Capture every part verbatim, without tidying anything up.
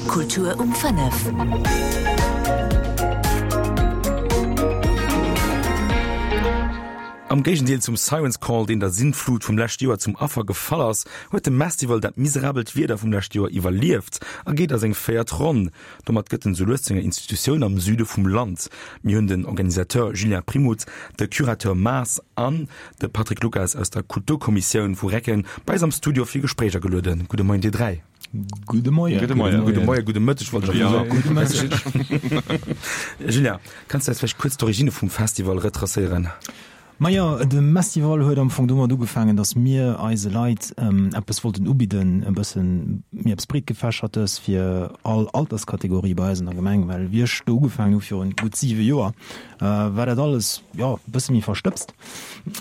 Kultur um fënnef. Am Géigendeel zum Siren's Call, deen der Sintflut vum leschte Joer zum Affer gefall ass, huet de Mestival dat miserabelt Wieder vum leschte Joer iwwerlieft a geet a seng véiert Ronn. Domat gëtt en sou lues zu enger Institutioun am Süde vum Land. Mir hunn den Organisateur Julien Primout, de Curateur Maas an de Patrick Lucas aus der Kulturkommissioun vu Recken bei eis am Studio fir Gespréich agelueden. Gudde Moien dir dräi. Gudde Moien. Gudde Moien. Gudde Moien, gudde Mëtteg wollt ech Ja, soen. gudde Mëtteg. Julien, kanns du eis vläicht kuerz d'Origine vum Festival retracéieren? Majo, de Mestival huet am Fong domat ugefaangen, datt mir eise Leit eppes wollten ubidden, e bësse méi eppes Breetgefächertes fir all Alterskategorie bei eis an der Gemeng. Well wéi ech do ugefaangen hu virun gutt siwe Joer, war dat alles, jo, e bësse méi verstëbst.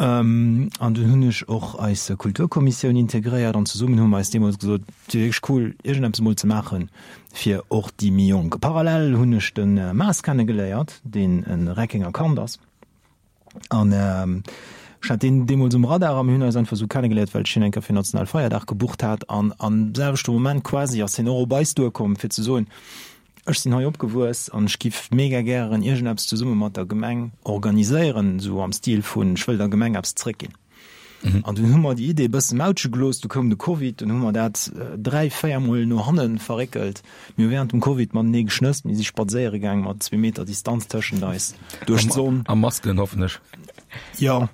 An dunn hunn ech och eis Kulturkommissioun integréiert an zesummen hu mer eis deemools gesot, et wier wierklech cool, iergendeppes emol ze maachen fir och déi méi Jonk. Parallel hunn ech de Maas kennegeléiert, deen e Reckenger Kand ass. An ech hat deen deemools um Radar a mir hunn eis einfach esou kennegeléiert, well ech hien eng Kéier fir Nationalfeierdag gebucht hat. An am selwechte Moment quasi ass hien och op eis duerkomm, fir ze soen, Ech sinn hei opgewuess an ech giff mega gären iergendeppes zesumme mat der Gemeng organiséieren, esou am Stil vun, ech wëll der Gemeng eppes zréckginn. An dunn hu mer déi Idee e bësse mautsche gelooss. Du koum de Covid, dunn hu mer dat dräi, véier Mol no hanne verréckelt. Mir hu während dem Covid matenee geschnësst, mir si spadséiere gaang mat zwee Meter Distanz tëschent eis duerch d'Sonn. A Masken, hoffen ech. Jo.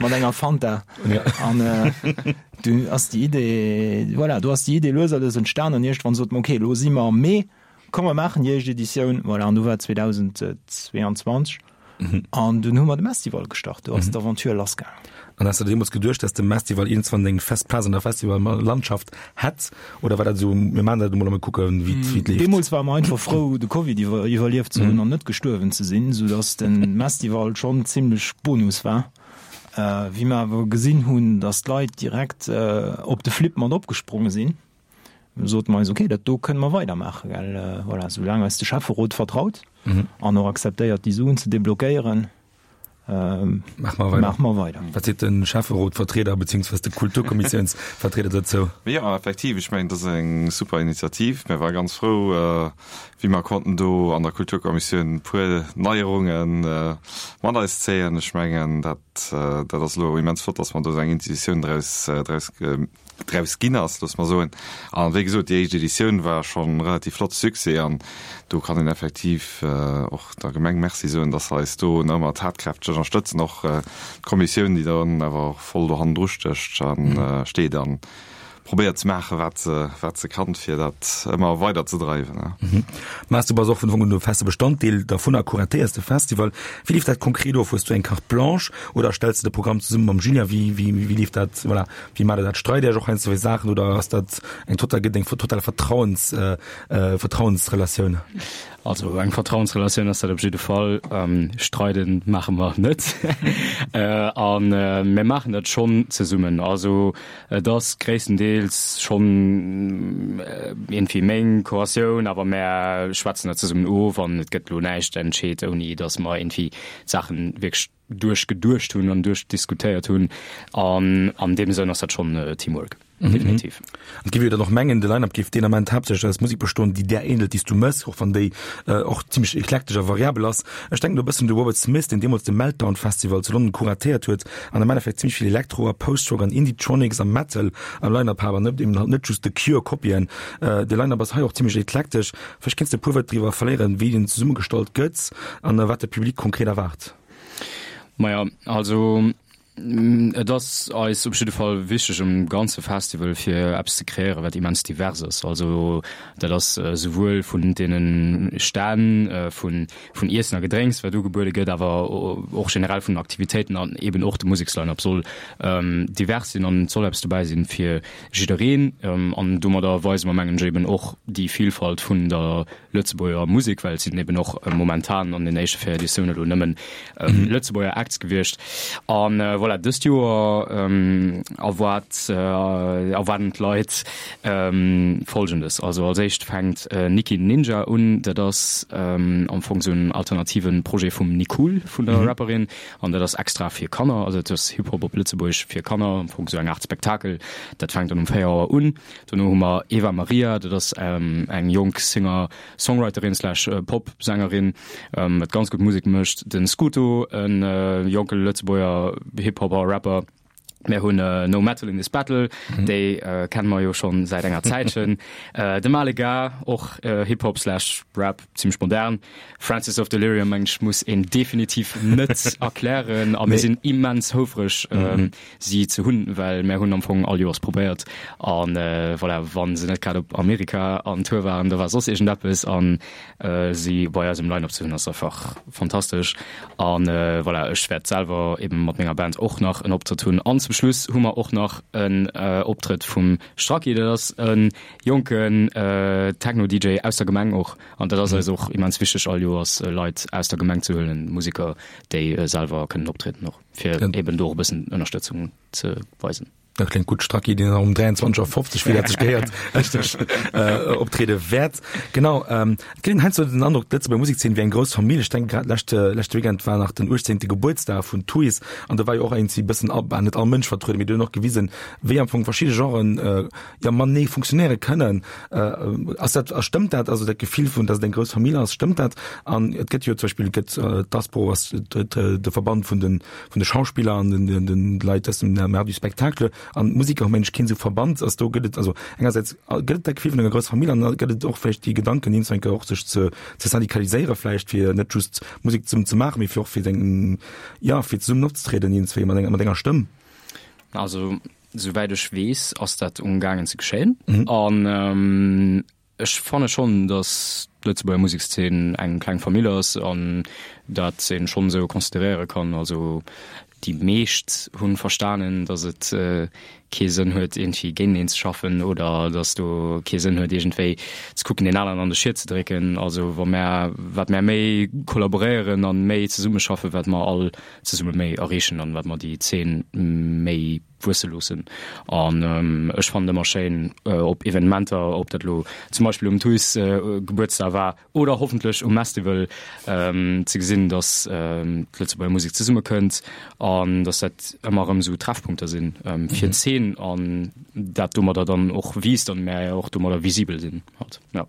Mat enger Fanta. An dunn ass déi Idee, voilà, do ass déi Idee lues a lues entstan an iergendwann sot mer, okay, elo si mer am Mee, komm mer maachen déi éischt Editioun. Voilà, an du war zweedausendzweeanzwanzeg. An dunn hu mer de Mestival gestart, do ass d'Aventure lassgaangen. An has de deemools geduecht, dass de Mestival iergendswann eng fest Plaz an der Festivallandschaft hätt? Oder war dat esou, mir maachen dat emol a mir kucken, wéi et leeft? Deemools ware mer einfach frou, de Covid iwwerlieft ze hunn an net gestuerwen ze sinn, soudass de Mestival schonn zimmlech Bonus war. Wéi mer awer gesinn hunn, dass d'Leit direkt op de Flip mat opgespronge sinn, sote mer eis, ok, dat do kënne mer weidermaachen, well voilà, soulaang eis de Schäfferot vertraut an och akzeptéiert, déi Suen ze deblockéieren, maache mer weider. Maache mer weider. Wat seet de Schäfferotvertrieder beziehungsweise de Kulturkommissiounsvertrieder dozou? Jo, effektiv, ech mengen, dat ass eng super Initiativ. Mir ware ganz frou, wéi mer konnten do an der Kulturkommissioun e puer Neierunge mat eis zéien. Ech mengen, dat, dat ass elo immens flott, dass mer do esou eng Institutioun draus, draus draus ginn ass, loosse mer soen. A wéi gesot, déi éischt Editioun war schonn e relativ flotte Succès an do kann een effektiv och der Gemeng Merci soen, dass se eis do nach ëmmer tatkräfteg ënnerstëtzen, och d'Kommissioun, déi dann awer och voll do hannendru stécht a steet a probéiert ze maachen, wat se, wat se kann, fir dat ëmmer weider ze dreiwen. Mars, du bass och vun Ufank un e feste Bestanddeel dervun a kuratéiers de Festival. Wéi leeft dat konkret of? Hues du eng Carte blanche oder stells de de Programm zesumme mam Julien? Wéi, wéi, wéi leeft dat, voilà, wéi maacht der dat? Streit Dir Iech och heiansdo iwwer Saachen oder ass dat eng total, gëtt eng total Vertrauens, Vertrauensrelatioun? Also eng Vertrauensrelatioun ass dat op jidde Fall. Streiden maache mer net. A mir maachen dat schonn zesummen. Also et ass gréisstendeels schonn iergendwéi meng Kuratioun, awer mär schwätzen dat zesummen of an et gëtt elo näischt entscheet, ouni datt mer iergendwéi d'Saache wierklech duerchgeduecht hunn an duerchdiskutéiert hunn. An an deem Sënn ass dat schonn Teamwork, definitiv. An et géif ee jo dann och mengen, de Line-Up géif deen Ament haaptsächlech aus Musek bestoen, déi där ähnelt, déi s du mëss, och wann déi och zimmlech eklektesch a variabel ass. Ech denken do e bëssen un de Robert Smith, deen deemools de Meltdown Festival zu London kuratéiert huet an am Endeffekt zimmlech vill Elektro a Post-Rock an Indietronics a Metal am Line-Up hat an net eben halt net just The Cure Kopien. De Line-Up ass hei och zimmlech eklektesch. Vläicht kéints de e puer Wuert driwwer verléieren, wéi deen zesummegestallt gëtt an wat de Public konkret erwaart. Maja, also et ass eis op jidde Fall wichteg um ganze Festival fir eppes ze kreéieren, wat immens divers ass. Also dat ass souwuel vun deene Stänn, vun vun Iessen a Gedrénks, wat ugebuede gëtt, awer och generell vun den Aktivitéiten an eeben och de Museksline-up soll divers sinn an et soll eppes dobäi sinn fir jiddereen. An domadder weise mer, mengen ech, eeben och déi Vilfalt vun der Lëtzebuerger Musek, well et sinn eben och momentan an den éischte véier Editioune lo nëmmen Lëtzebuerger Acts gewiescht. A voilà, Voilà, dëst Joer erwaart erwaarden d'Leit Folgendes, also als éischt fänkt Nikki Ninja un, dat ass am Fong esou en alternative Projet vum Nicool, vun der Rapperin, an dat ass extra fir Kanner, also dat ass Hip-Hop op Lëtzebuergesch fir Kanner, am Fong esou eng Aart Spektakel. Dat fänkt dann um véier Auer un. Dono hu mer Eva Maria, dat ass eng jonk Singer-Songwriterin slash Pop-Sängerin, wat ganz gutt Musek mécht. Den Scooto, e jonke Lëtzebuerger Hip-Hopper, Rapper. Mir hunn No Metal in This Battle, déi kenne mer jo schonn säit enger Zäitchen. De Malega, och Hip-Hop slash Rap, zimmlech modern. Francis of Delirium, mengen ech, muss een definitiv net erklären. A mir sinn immens houfreg, si ze hunn, well mär hunn am Fong all Joers probéiert. A voilà, wa se net grad op Amerika an Tour waren, da war soss iergendeppes. An si bei eis um Line-Up ze hunn, ass einfach fantastesch. A voilà, ech wäert selwer eben mat menger Band och nach en Optrëtt hunn. An zum Schluss hu mer och nach en Optrëtt vum Stracki, dat ass e jonken Techno-D J aus der Gemeng och. An dat ass eis och immens wichteg, all Joers Leit aus der Gemeng ze huelen, Museker, déi selwer kënnen optrieden och, fir eben do och e bëssen Ënnerstëtzung ze weisen. Dat kléngt gutt, Stracki, deen dann um dräianzwanzeg Auer fofzeg, wéi dat sech gehéiert, richteg optriede wäert. Genau, et kritt een heiansdo den Androck, d'Lëtzebuerger Musekszeen wier eng grouss Famill. Ech denken grad, leschte leschte Weekend war nach den uechtzéngte Gebuertsdag vun Tuys an do war jo och iergendwéi e bëssen, bah, net all Mënsch vertrueden, mee do hunn och gewisen, wéi am Fong verschidde Genren jo matenee funktionéiere kënnen. Ass dat, a stëmmt dat, also dat Gefill vun, datt et eng grouss Famill ass, stëmmt dat? An et gëtt jo zum Beispill, gëtt d'Aspro ass de Verband vun de vun de Schauspiller an den den den Leit aus dem Art du Spectacle an d'Musiker hu mengen ech keen esou Verband. Ass do gëtt et also engersäits gëtt et dat Gefill vun enger grousser Famill an da gëtt et och vläicht déi Gedanken iergendwann eng Kéier och sech ze ze syndikaliséiere vläicht fir net just Musek zesummen ze maachen, mee fir och fir eng ja fir zesummen opzetrieden iergendzwéi mat enger mat enger Stëmm. Also souwäit ech weess ass dat umgaangen ze geschéien an Ech fanne schonn, datt d'Lëtzebuerger Musekszeen eng kleng Famill ass an dat ee schonn esou consideréiere kann. Also déi meescht hu verstanen, datt et kee Sënn huet, iergendwéi géinteneen ze schaffen oder datt do kee Sënn huet, iergendwéi ze kucken, deen aneren an de Schiet ze drécken. Also wa mär, wat mär méi kollaboréieren a méi zesummeschaffen, wat mer all zesumme méi erreechen an wat mer déi Zeen méi wuesse loossen. An ech fannen et ëmmer schéin op Evenementer, ob dat elo zum Beispill um Tuys Gebuertsdag war oder hoffentlech um Mestival, ze gesinn, datt d'Lëtzebuerger Musek zesummekënnt an datt dat ëmmer erëm esou Treffpunkter sinn fir d'Zeen an dat domadder dann och wiisst an mär och domadder visibel sinn halt, jo.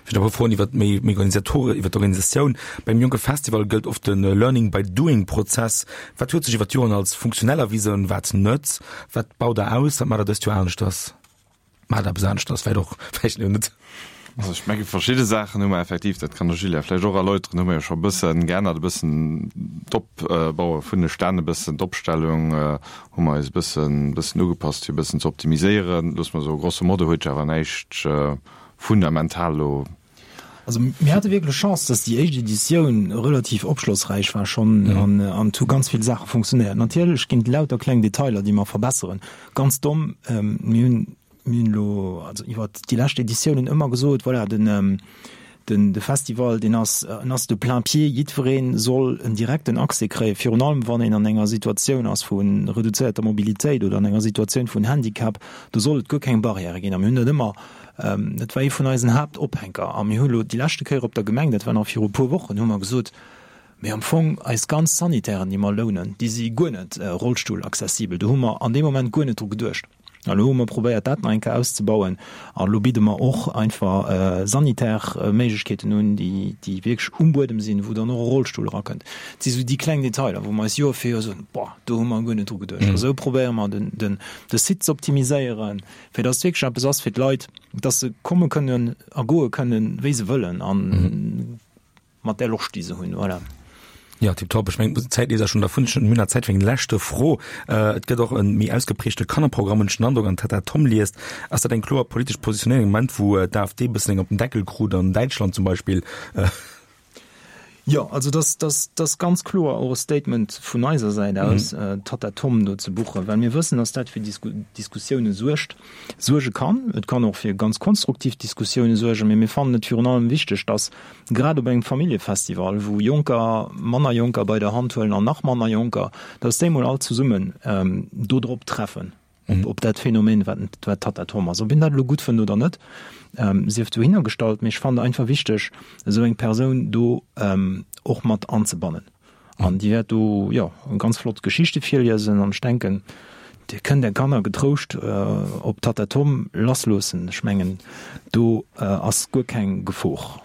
Fir nach e puer Froen iwwer méi Organisatore, iwwer d'Organisatioun. Beim jonke Festival gëllt oft de Learning by doing Prozess. Wat huet sech iwwer d'Joren als funktionell erwisen, wat net? Wat baut der aus? Wat maacht der dëst Joer aneschters? Maacht der eppes aneschters vläicht och, vläicht net? Also ech menge verschidde Saachen hu mer effektiv, dat kann de Julien vläicht och erläuteren, hu mer jo scho e bësse geännert, e bëssen d'Opbaue vun de Stänn, e bëssen d'Opstellung hu mer eis e bëssen, bëssen ugepasst, fir e bëssen ze optimiséieren. Loosse mer soe grosso modo huet sech awer näischt fundamental lo. Also mir hate wierklech Chance, dass déi éischt Editioun relativ opschlossräich war schonn an an et hu ganz vill Saache funktionéiert. Natierlech ginn et lauter kleng Detailer, déi mer verbesseren. Ganz domm, mir hunn mir hunn elo also iwwert déi lescht Editiounen ëmmer gesot, voilà, den den de Festival, deen ass en ass de plain-pied, jiddweree soll en direkten Accès kréien, virun allem wann een an enger Situatioun ass vu reduzéierter Mobilitéit oder an enger Situatioun vun Handicap, do soll et guer keng Barrièrë ginn. A mir hunn dat ëmmer, dat war ee vun eisen Haaptophänker. A mir hu elo déi leschte Kéier op der Gemeng, dat war nach viru e puer Wochen, hu mer gesot, Mee am Fong eis ganz Sanitären, déi mer lounen, déi si guer net rollstullaccessibel. Do hu mer an deem Moment guer net dru geduecht. A lo hu mer probéiert, dat nach eng Kéier auszebauen. A lo bidde mer och einfach sanitär Méiglechkeeten un, déi, déi wierklech um Buedem sinn, wou dann och e Rollstull erakënnt. Et si sou déi kleng Detailer, wou mer eis Joer fir Joer soen, Boah, do hu mer guer net dru geduecht. A sou probéiere mer, den, den, de Site ze optimiséieren, fir dass et wierklech eppes ass fir d'Leit, dass se komme kënnen a goe kënnen, wéi se wëllen. An mat där Loscht, déi se hunn. Voilà. Ja, tiptop. Ech mengen, d'Zäit leeft eis schonn dervun. Ech hunn nach Zäit fir eng leschte Fro. Et gëtt och e méi ausgeprägte Kannerprogramm, hunn ech den Androck, an d'Tatta Tom liest. Ass dat eng kloer politesch Positionéierung am Moment, wou d'AfD e bëssen eng op den Deckel krut, an Däitschland zum Beispill? Jo, also dass dass dass ganz kloer och e Statement vun eiser Säit aus, d'Tatta Tom do ze buchen, well mir wëssen, dass dat fir Diskussioune suergt, suerge kann. Et kann och fir ganz konstruktiv Diskussioune suergen, mee mir fannen et virun allem wichteg, dass grad op engem Familljefestival, wou Jonker manner Jonker bei der Hand huelen an nach manner Jonker, dass déi mol all zesummen do drop treffen. Op, op dat Phänomen, wat, wat Tatta Tom ass. Ob een dat elo gutt fënnt oder net, ähm, sief dohinner gestallt, mee ech fannen einfach wichteg, esou eng Persoun do ähm, och mat anzebannen. An déi wäert do, jo, ganz flott Geschichte virliesen an ech denken, Dir kënnt Är Kanner getrouscht äh, op Tatta Tom lassloossen. Ech mengen, do äh, ass guer keng Gefor.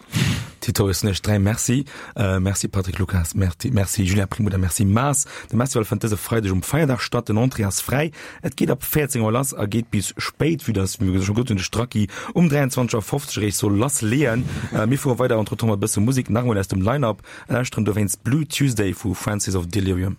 Tito, ech soen iech dräi Merci. Merci Patrick Lucas, Merci, merci Julien Primout a merci Maas. De Mestival fënnt dëse Freideg um Feierdag statt. Den Entrée ass fräi. Et geet ab véierzéng Auer lass a geet bis spéit, vue dass, wéi mir scho gesot hunn, de Stracki um dräianzwanzeg Auer fofzeg eréischt soll lassleeën. Mir fuere weider entretemps mat e bësse Musek, nach emol aus dem Line-Up a lauschteren dowéinst Blue Tuesday vu Francis of Delirium.